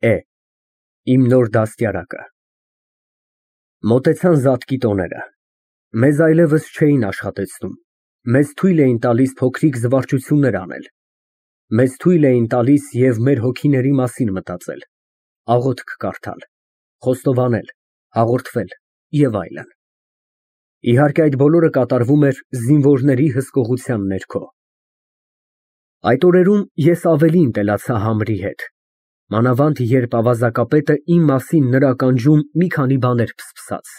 Է. Իմ նոր դաստիարակը։ Մոտեցան Զատկի տոները։ Մեզ այլևս չէին աշխատեցնում, մեզ թույլ էին տալիս փոքրիկ զվարճություններ անել, մեզ թույլ էին տալիս և մեր հոգիների մասին մտածել, աղոթք կարդալ, խոստովանել, հաղորդվել և այլն։ Իհարկե, այդ բոլորը կատարվում էր զինվորների հսկողության ներքո։ Այդ օրերում ես ավելի ընտելացա Համրի հետ, մանավանդ երբ ավազակապետը իմ մասին նրա ականջում մի քանի բան էր փսփսած։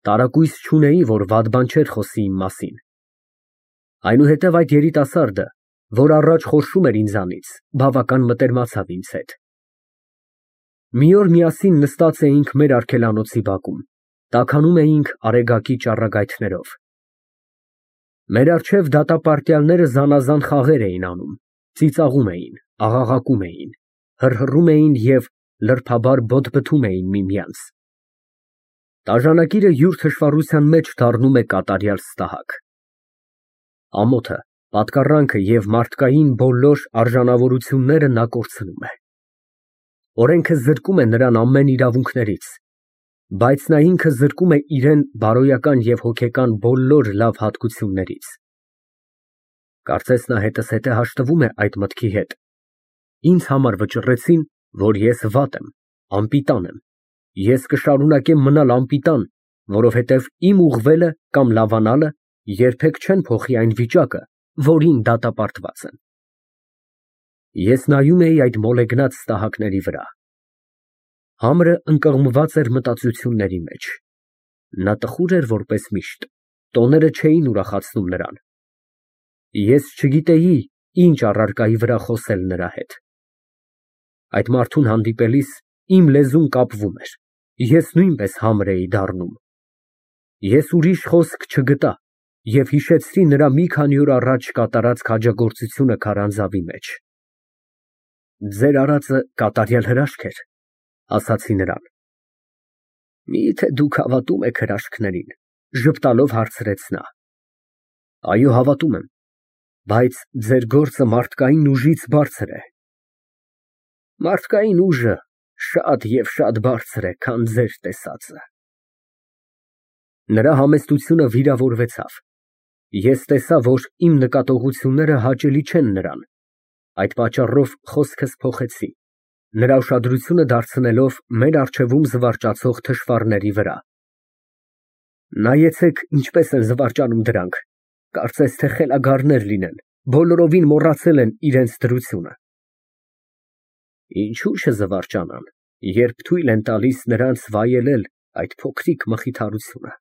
Տարակույս չունեի, որ վատ բան չէր խոսի իմ մասին։ Այնուհետև այդ երիտասարդը, որ առաջ խորշում էր ինձանից, բավական մտերմացավ ինձ հետ։ Մի օր միասին նստած էինք մեր արգելանոցի բակում, տաքանում էինք Արեգակի ճառագայթներով։ Մեր առջև դատապարտյալները զանազան խաղեր էին անում, ծիծաղում էին, աղաղակում էին, հռհռում էին և լրբաբար բոթբթում էին միմյանց։ Տաժանակիրը յուր թշվառության մեջ դառնում է կատարյալ ստահակ։ Ամոթը, պատկառանքը և մարդկային բոլոր արժանավորությունները նա կորցնում է։ Օրենքը զրկում է նրան ամեն իրավունքներից, բայց նա ինքը զրկում է իրան բարոյական և հոգեկան բոլոր լավ հատկություններից։ Կարծես նա հետզհետե հաշտվում է այդ մտքի հետ. ինձ համար վճռեցին, որ ես վատ եմ, անպիտան եմ, ես կշարունակեմ մնալ անպիտան, որովհետև իմ ուղղվելը կամ լավանալը երբեք չեն փոխի այն վիճակը, որին դատապարտված եմ։ Ես նայում էի այդ մոլեգնած ստահակների վրա։ Համրը ընկղմված էր մտածությունների մեջ։ Նա տխուր էր որպես միշտ, տոները չէին ուրախացնում նրան։ Ես չգիտեի ինչ առարկայի վրա խոսել նրա հետ։ Այդ մարդուն հանդիպելիս իմ լեզուն կապվում էր, ես նույնպես համր էի դառնում։ Ես ուրիշ խոսք չգտա և հիշեցրի նրա մի քանի օր առաջ կատարած քաջագործությունը քարանձավի մեջ։ Ձեր արածը կատարյալ հրաշք էր, ասացի նրան։ Միթե դուք հավատում եք հրաշքներին, ժպտալով հարցրեց նա։ Այո, հավատում եմ, բայց ձեր գործը մարդկային ուժից բարձր է։ Մարդկային ուժը շատ և շատ բարձր է, քան ձեր տեսածը։ Նրա համեստությունը վիրավորվեցավ։ Ես տեսա, որ իմ նկատողությունները հաճելի չեն նրան, այդ պատճառով խոսքս փոխեցի, նրա ուշադրությունը դարձնելով մեր առջևում զվարճացող թշվառների վրա։ Նայեցեք, ինչպես են զվարճանում դրանք, կարծես թե խելագարներ լինեն, բոլորովին մոռացել են իրենց դրությունը։ Ինչու չզվարճանան, երբ թույլ են տալիս նրանց վայելել այդ փոքրիկ մխիթարությունը։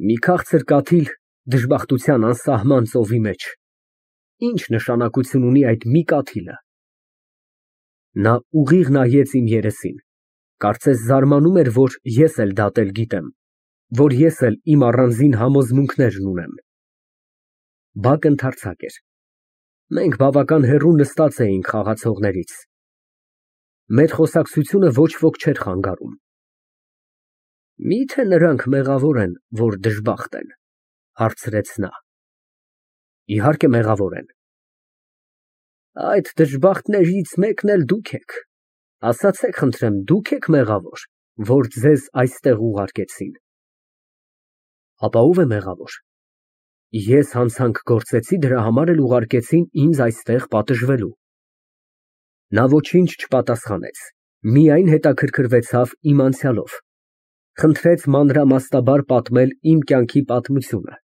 Մի քաղցր կաթիլ դժբախտության անսահման ծովի մեջ, ինչ նշանակություն ունի այդ մի կաթիլը։ Նա ուղիղ նայեց իմ երեսին, կարծես զարմանում էր, որ ես էլ դատել գիտեմ, որ ես էլ իմ առանձին համոզմունքներն ունեմ։ Բակը ընդարձակ էր։ Մենք բավական հեռու նստած էինք խաղացողներից։ Մեր խոսակցությունը ոչ ոք չէր խանգարում։ Միթե նրանք մեղավոր են, որ դժբախտ են, հարցրեց նա։ Իհարկե մեղավոր են։ Այդ դժբախտներից մեկն էլ դուք եք։ Ասացեք խնդրեմ, դուք եք մեղավոր, որ ձեզ այստեղ ուղարկեցին։ Ապա ո՞վ է մեղավոր։ Ես հանցանք գործեցի, դրա համար էլ ուղարկեցին ինձ այստեղ պատժվելու։ Նա ոչինչ չպատասխանեց, միայն հետաքրքրվեցավ իմ անցյալով, խնդրեց մանրամասնաբար պատմել իմ կյանքի պատմությունը։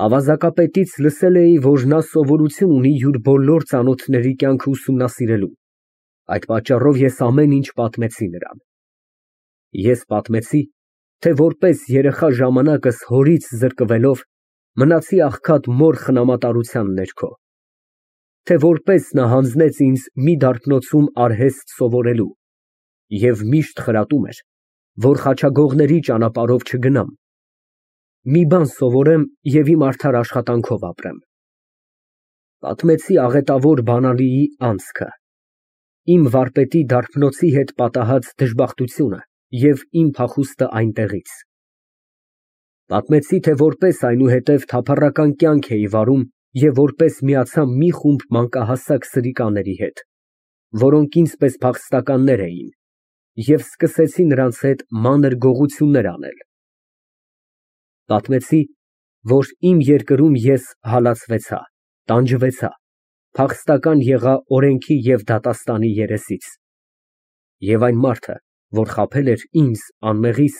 Ավազակապետից լսել էի, որ նա սովորություն ունի յուր բոլոր ծանոթների կյանքը ուսումնասիրելու, այդ պատճառով ես ամեն ինչ պատմեցի նրան։ Ես պատմեցի, թե որպես երեխա ժամանակս հորից զրկվելով մնացի աղքատ մոր խնամատարության ներքո, թե որպես նա հանձնեց ինձ մի դարբնոցում արհեստ սովորելու և միշտ խրատում էր, որ խաչագողների ճանապարհով չգնամ, մի բան սովորեմ և իմ արդար աշխատանքով ապրեմ։ Պատմեցի աղետավոր բանալիի անցքը, իմ վարպետի դարբնոցի հետ պատահած դժբախտությունը և իմ փախուստը այնտեղից։ Պատմեցի, թե որպես այնուհետև թափառական կյանք էի վարում և որպես միացա մի խումբ մանկահասակ սրիկաների հետ, որոնք ինձ պես փախստականներ էին, և սկսեցի նրանց հետ մանր գողություններ անել։ Պատմեցի, որ իմ երկրում ես հալածվեցա, տանջվեցա, փախստական եղա օրենքի և դատաստանի երեսից, և այն մարդը, որ խաբել էր ինձ անմեղիս,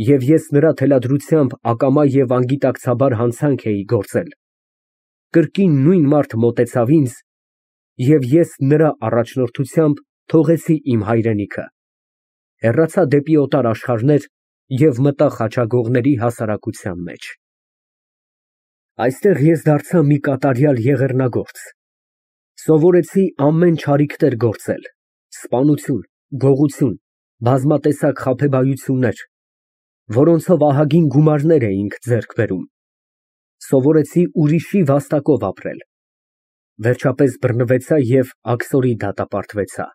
և ես նրա թելադրությամբ ակամա և անգիտակցաբար հանցանք էի գործել, կրկին նույն մարդը մոտեցավ ինձ, և ես նրա առաջնորդությամբ թողեցի իմ հայրենիքը, հեռացա դեպի օտար աշխարհներ և մտա խաչագողների հասարակության մեջ։ Այստեղ ես դարձա մի կատարյալ եղեռնագործ, սովորեցի ամեն չարիքներ գործել, սպանություն, գողություն, բազմատեսակ խաբեբայություններ, որոնցով ահագին գումարներ էինք ձեռք բերում, սովորեցի ուրիշի վաստակով ապրել, վերջապես բռնվեցա և աքսորի դատապարտվեցա։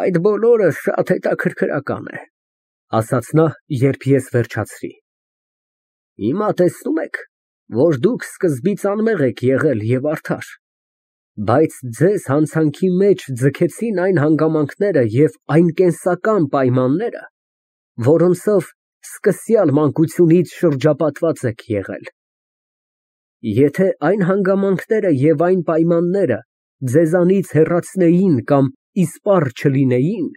Այդ բոլորը շատ հետաքրքրական է, ասաց նա, երբ ես վերջացրի։ Հիմա տեսնում եք, որ դուք սկզբից անմեղ եք եղել և արդար, բայց ձեզ հանցանքի մեջ ձգեցին այն հանգամանքները և այն կենսական պայմանները, որոնցով սկսյալ մանկությունից շրջապատված եք եղել։ Եթե այն հանգամանքները և այն պայմանները ձեզանից հեռացնեին կամ իսպառ չլինեին,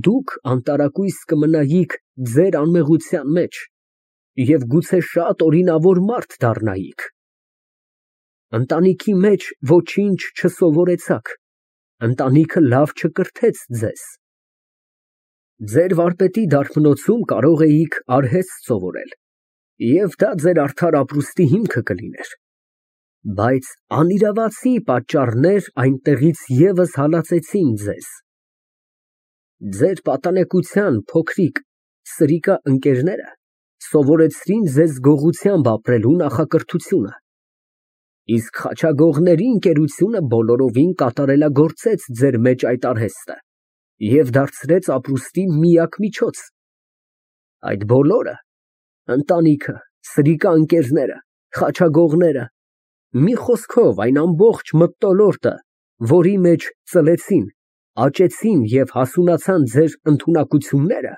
դուք անտարակույս կմնայիք ձեր անմեղության մեջ և գուցե շատ օրինավոր մարդ դառնայիք։ Ընտանիքի մեջ ոչինչ չսովորեցաք, ընտանիքը լավ չկրթեց ձեզ։ Ձեր վարպետի դարբնոցում կարող էիք արհեստ սովորել, և դա ձեր արդար ապրուստի հիմքը կլիներ, բայց անիրավացի պատճառներ այնտեղից ևս հալածեցին ձեզ։ Ձեր պատանեկության փոքրիկ սրիկա ընկերները սովորեցրին ձեզ գողությամբ ապրելու նախակրթությունը, իսկ խաչագողների ընկերությունը բոլորովին կատարելագործեց ձեր մեջ այդ արհեստը և դարձրեց ապրուստի միակ միջոց։ Այդ բոլորը, ընտանիքը, սրիկա ընկերները, խաչագողները, մի խոսքով այն ամբողջ մթնոլորտը, որի մեջ ծլեցին, աճեցին և հասունացան ձեր ընդունակությունները,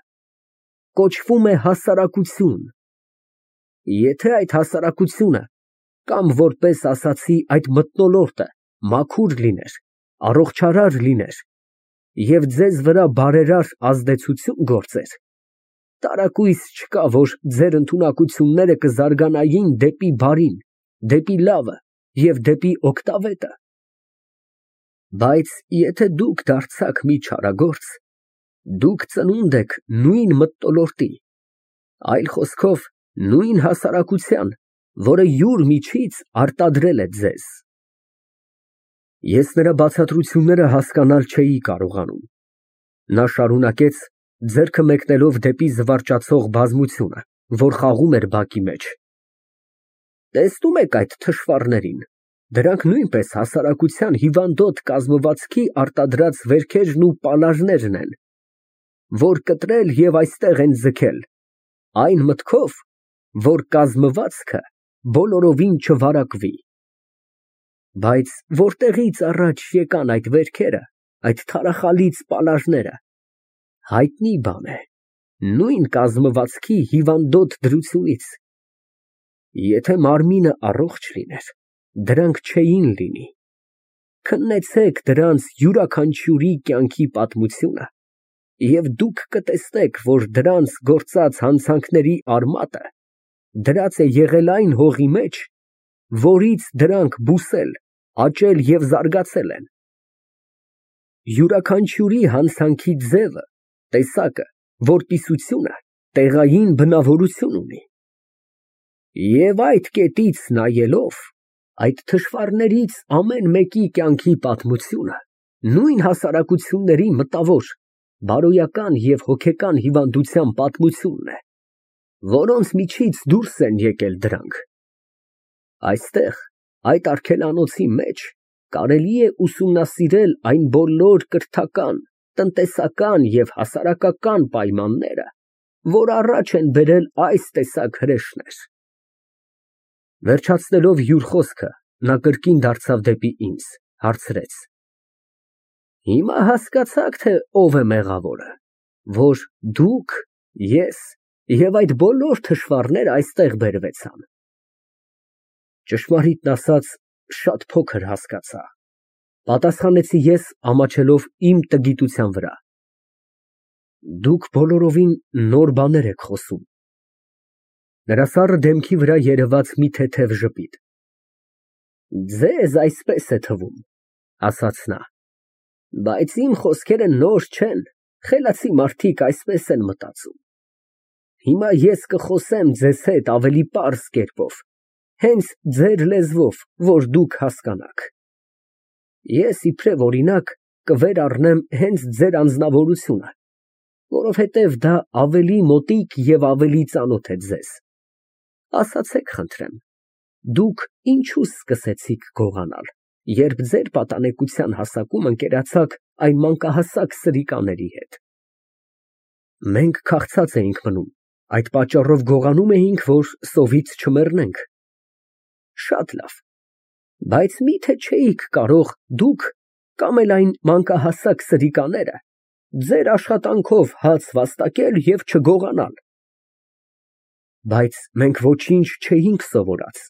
կոչվում է հասարակություն։ Եթե այդ հասարակությունը, կամ որպես ասացի այդ մթնոլորտը մաքուր լիներ, առողջարար լիներ և ձեզ վրա բարերար ազդեցություն գործեր, տարակույս չկա, որ ձեր ընդունակությունները կզարգանային դեպի բարին, դեպի լավը և դեպի օգտավետը։ Բայց եթե դուք դարձաք մի չարագործ, դուք ծնունդ եք նույն մթնոլորտի, այլ խոսքով, նույն հասարակության, որը յուր միջից արտադրել է ձեզ։ Ես նրա բացատրությունները հասկանալ չէի կարողանում։ Նա շարունակեց, ձեռքը մեկնելով դեպի զվարճացող բազմությունը, որ խաղում էր բակի մեջ. Տեսնում եք այդ թշվառներին, դրանք նույնպես հասարակության հիվանդոտ կազմվածքի արտադրած վերքերն ու պալարներն են, որ կտրել և այստեղ են ձգել, այն մտքով, որ կազմվածքը բոլորովին չվարակվի։ Բայց որտեղից առաջ եկան այդ վերքերը, այդ թարախալից պալարները, հայտնի բան է, նույն կազմվածքի հիվանդոտ դրությունից։ Եթե մարմինը առողջ լիներ, դրանք չէին լինի։ Քննեցեք դրանց յուրաքանչյուրի կյանքի պատմությունը, և դուք կտեսնեք, որ դրանց գործած հանցանքների արմատը դրած է եղել այն հողի մեջ, որից դրանք բուսել, աճել և զարգացել են։ Յուրաքանչյուրի հանցանքի ձևը, տեսակը, որպիսությունը տեղային բնավորություն ունի։ Եվ այդ կետից նայելով, այդ թշվառներից ամեն մեկի կյանքի պատմությունը նույն հասարակությունների մտավոր, բարոյական և հոգեկան հիվանդության պատմությունն է, որոնց միջից դուրս են եկել դրանք։ Այստեղ, այդ արգելանոցի մեջ, կարելի է ուսումնասիրել այն բոլոր կրթական, տնտեսական և հասարակական պայմանները, որ առաջ են բերել այս տեսակ հրեշներ։ Վերջացնելով յուր խոսքը, նա կրկին դարձավ դեպի ինձ, հարցրեց. Հիմա հասկացաք, թե ով է մեղավորը, որ դուք, ես և այդ բոլոր թշվառները այստեղ բերվեցան։ Ճշմարիտն ասած, շատ փոքր հասկացա, պատասխանեցի ես, ամաչելով իմ տգիտության վրա։ Դուք բոլորովին նոր բաներ եք խոսում։ Նրա սառը դեմքի վրա երևաց մի թեթև ժպիտ։ Ձեզ այսպես է թվում, ասաց նա, բայց իմ խոսքերը նոր չեն, խելացի մարդիկ այսպես են մտածում։ Հիմա ես կխոսեմ ձեզ հետ ավելի պարզ կերպով, հենց ձեր լեզվով, որ դուք հասկանաք։ Ես իբրև օրինակ կվերառնեմ հենց ձեր անձնավորությունը, որովհետև դա ավելի մոտիկ և ավելի ծանոթ է ձեզ։ Ասացեք խնդրեմ, դուք ինչու սկսեցիք գողանալ, երբ ձեր պատանեկության հասակում ընկերացաք այն մանկահասակ սրիկաների հետ։ Մենք քաղցած էինք մնում, այդ պատճառով գողանում էինք, որ սովից չմեռնենք։ Շատ լավ, բայց մի՞թե չէիք կարող դուք կամ էլ այն մանկահասակ սրիկաները ձեր աշխատանքով հաց վաստակել և չգողանալ։ Բայց մենք ոչինչ չէինք սովորած։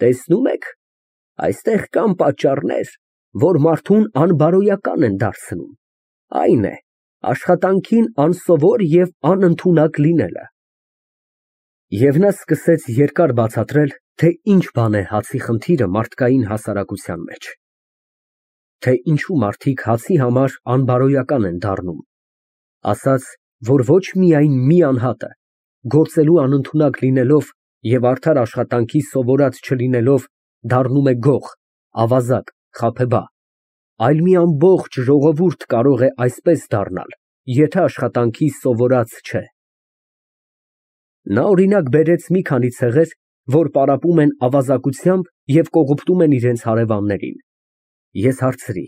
Տեսնում եք, այստեղ կան պատճառներ, որ մարդուն անբարոյական են դարձնում, այն է, աշխատանքին անսովոր և անընդունակ լինելը։ Եվ նա սկսեց երկար բացատրել, թե ինչ բան է հացի խնդիրը մարդկային հասարակության մեջ, թե ինչու մարդիկ հացի համար անբարոյական են դառնում, ասաց, որ ոչ միայն մի անհատը, գործելու անընդունակ լինելով և արդար աշխատանքի սովորած չլինելով, դառնում է գող, ավազակ, խաբեբա, այլ մի ամբողջ ժողովուրդ կարող է այսպես դառնալ, եթե աշխատանքի սովորած չէ։ Նա օրինակ բերեց մի քանի ցեղեր, որ պարապում են ավազակությամբ և կողոպտում են իրենց հարևաններին։ Ես հարցրի.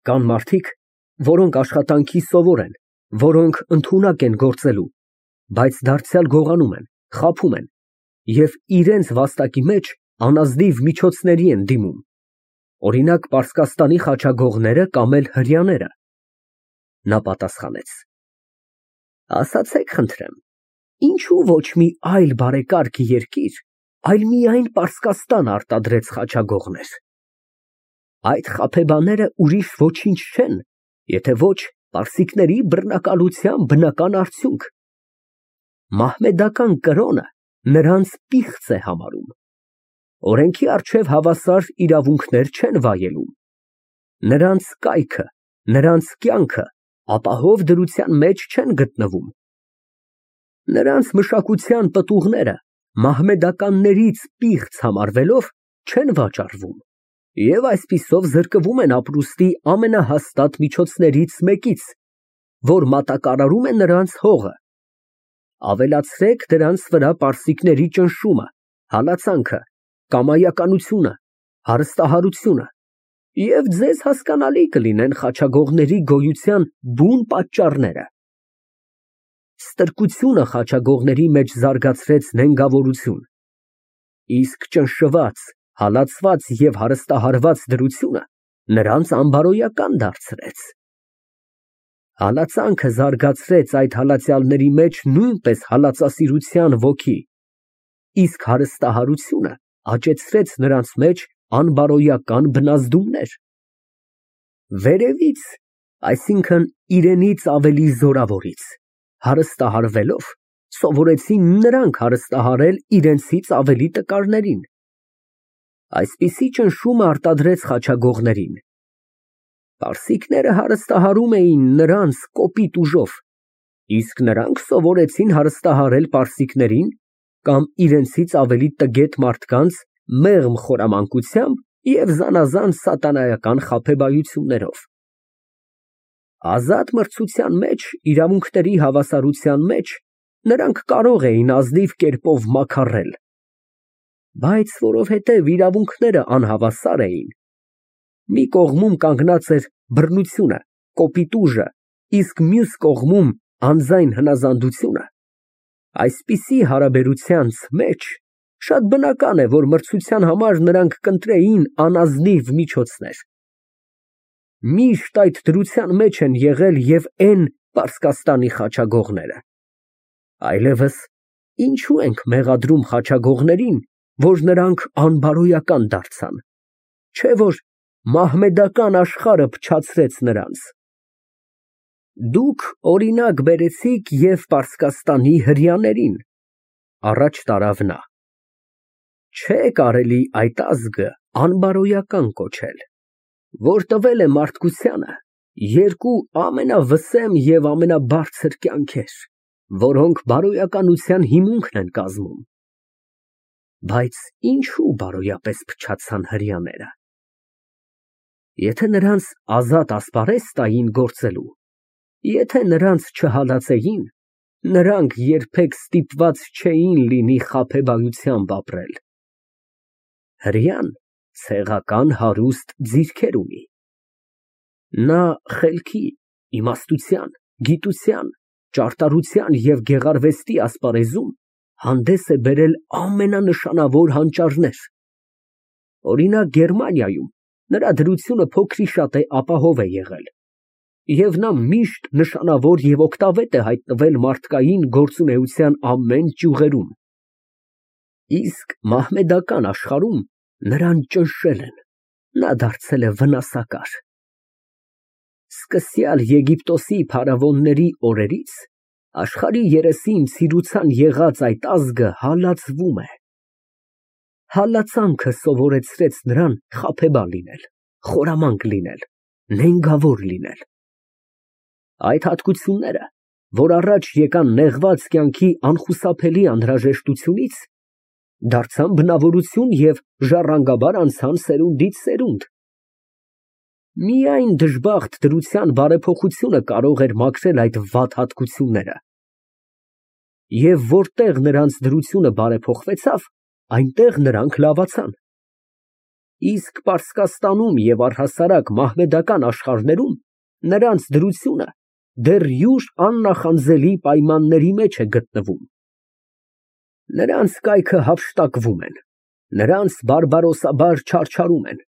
կան մարդիկ, որոնք աշխատանքի սովոր են, որոնք ընդունակ են գործելու, բայց դարձյալ գողանում են, խաբում են և իրենց վաստակի մեջ անազնիվ միջոցների են դիմում, օրինակ Պարսկաստանի խաչագողները կամ էլ հրեաները։ Նա պատասխանեց. ասացեք խնդրեմ, ինչու ոչ մի այլ բարեկարգ երկիր, այլ միայն Պարսկաստան արտադրեց խաչագողներ։ Այդ խաբեբաները ուրիշ ոչինչ չեն, եթե ոչ պարսիկների բռնակալության բնական արդյունք։ Մահմեդական կրոնը նրանց պիղծ է համարում։ Օրենքի առջև հավասար իրավունքներ չեն վայելում։ Նրանց կայքը, նրանց կյանքը ապահով դրության մեջ չեն գտնվում։ Նրանց մշակութային պտուղները մահմեդականներից պիղծ համարվելով չեն վաճառվում և այսպիսով զրկվում են ապրուստի ամենահաստատ միջոցներից մեկից, որ մատակարարում է նրանց հողը։ Ավելացրեք դրանց վրա պարսիկների ճնշումը, հալածանքը, կամայականությունը, հարստահարությունը, և ձեզ հասկանալի կլինեն խաչագողների գոյության բուն պատճառները։ Ստրկությունը խաչագողների մեջ զարգացրեց նենգավորություն, իսկ ճնշված, հալածված և հարստահարված դրությունը նրանց անբարոյական դարձրեց։ Հալածանքը զարգացրեց այդ հալածյալների մեջ նույնպես հալածասիրության ոգի, իսկ հարստահարությունը աճեցրեց նրանց մեջ անբարոյական բնազդումներ։ Վերևից, այսինքն իրենից ավելի զորավորից, հարստահարվելով, սովորեցին նրանք հարստահարել իրենցից ավելի տկարներին։ Այսպիսի ճնշումը արտադրեց խաչագողներին։ Պարսիկները հարստահարում էին նրանց կոպիտ ուժով, իսկ նրանք սովորեցին հարստահարել պարսիկներին կամ իրենցից ավելի տգետ մարդկանց մեղմ խորամանկությամբ և զանազան սատանայական խաբեբայություններով։ Ազատ մրցության մեջ, իրավունքների հավասարության մեջ նրանք կարող էին ազնիվ կերպով մաքարել, բայց որովհետև իրավունքները անհավասար էին, մի կողմում կանգնած էր բռնությունը, կոպիտ ուժը, իսկ մյուս կողմում անձայն հնազանդությունը, այսպիսի հարաբերությանց մեջ շատ բնական է, որ մրցության համար նրանք կընտրեին անազնիվ միջոցներ։ Միշտ այդ դրության մեջ են եղել և են Պարսկաստանի խաչագողները։ Այլևս ինչու ենք մեղադրում խաչագողներին, որ նրանք անբարոյական դարձան, չէ՞ որ մահմեդական աշխարհը փչացրեց նրանց։ Դուք օրինակ բերեցիք և Պարսկաստանի հրեաներին, առաջ տարավ նա։ Չէ կարելի այդ ազգը անբարոյական կոչել, որ տվել է մարդկությանը երկու ամենավսեմ և ամենաբարձր կյանքեր, որոնք բարոյականության հիմունքն են կազմում։ Բայց ինչու բարոյապես փչացան հրեաները։ Եթե նրանց ազատ ասպարեզ տային գործելու, եթե նրանց չհալածեին, նրանք երբեք ստիպված չէին լինի խաբեբայությամբ ապրել։ Հրեան ցեղական հարուստ ձիրքեր ունի։ Նա խելքի, իմաստության, գիտության, ճարտարության և գեղարվեստի ասպարեզում հանդես է բերել ամենանշանավոր հանճարներ։ Օրինակ Գերմանիայում նրա դրությունը փոքրիշատ է ապահով է եղել, և նա միշտ նշանավոր և օգտավետ է հայտնվել մարդկային գործունեության ամեն ճյուղերում։ Իսկ մահմեդական աշխարհում նրան ճնշել են, նա դարձել է վնասակար։ Սկսյալ Եգիպտոսի փարավոնների օրերից աշխարհի երեսին ցիրուցան եղած այդ ազգը հալածվում է։ Հալածանքը սովորեցրեց նրան խաբեբա լինել, խորամանկ լինել, նենգավոր լինել։ Այդ հատկությունները, որ առաջ եկան նեղված կյանքի անխուսափելի անհրաժեշտությունից, դարձան բնավորություն և ժառանգաբար անցան սերունդից սերունդ։ Միայն դժբախտ դրության բարեփոխությունը կարող էր մաքրել այդ վատ հատկությունները։ Եվ որտեղ նրանց դրությունը բարեփոխվեցավ, այնտեղ նրանք լավացան։ Իսկ Պարսկաստանում և առհասարակ մահմեդական աշխարհներում նրանց դրությունը դեռ յուր աննախանձելի պայմանների մեջ է գտնվում։ Նրանց կայքը հափշտակվում են, նրանց բարբարոսաբար չարչարում են,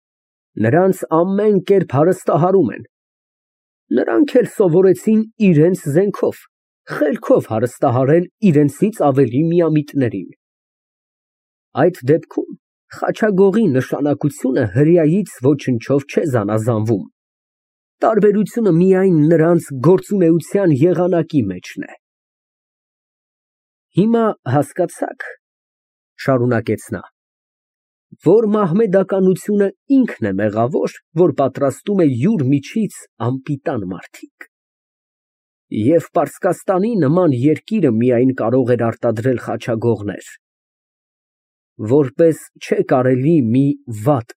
նրանց ամեն կերպ հարստահարում են։ Նրանք էլ սովորեցին իրենց զենքով, խելքով հարստահարել իրենցից ավելի միամիտներին։ Այդ դեպքում խաչագողի նշանակությունը հրեայից ոչնչով չէ զանազանվում, տարբերությունը միայն նրանց գործունեության եղանակի մեջն է։ Հիմա հասկացա՞ք, շարունակեց նա, որ մահմեդականությունը ինքն է մեղավոր, որ պատրաստում է յուր միջից անպիտան մարդիկ։ Եվ Պարսկաստանի նման երկիրը միայն կարող էր արտադրել խաչագողներ, որպես չէ կարելի մի վատ,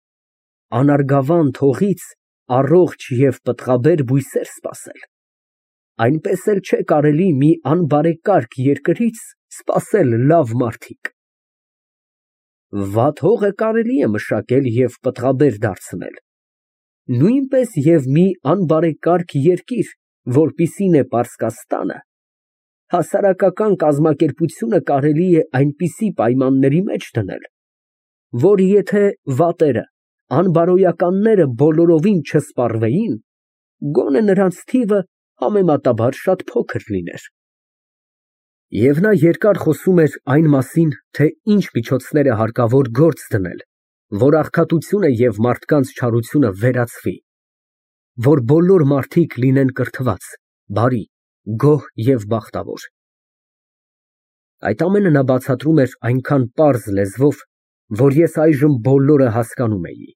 անարգավան թողից առողջ և պտղաբեր բույսեր սպասել, այնպես էլ չէ կարելի մի անբարեկարգ երկրից սպասել լավ մարդիկ։ Վատ հողը կարելի է մշակել և պտղաբեր դարձնել, նույնպես և մի անբարեկարգ երկիր, որպիսին է Պարսկաստանը, հասարակական կազմակերպությունը կարելի է այնպիսի պայմանների մեջ դնել, որ եթե վատերը, անբարոյականները բոլորովին չսպառվեին, գոնե նրանց թիվը համեմատաբար շատ փոքր լիներ։ Եվ նա երկար խոսում էր այն մասին, թե ինչ միջոցներ է հարկավոր գործ դնել, որ աղքատությունը և մարդկանց չարությունը վերացվի, որ բոլոր մարդիկ լինեն կրթված, բարի, գոհ և բախտավոր։ Այդ ամենը նա բացատրում էր այնքան պարզ լեզվով, որ ես այժմ բոլորը հասկանում էի։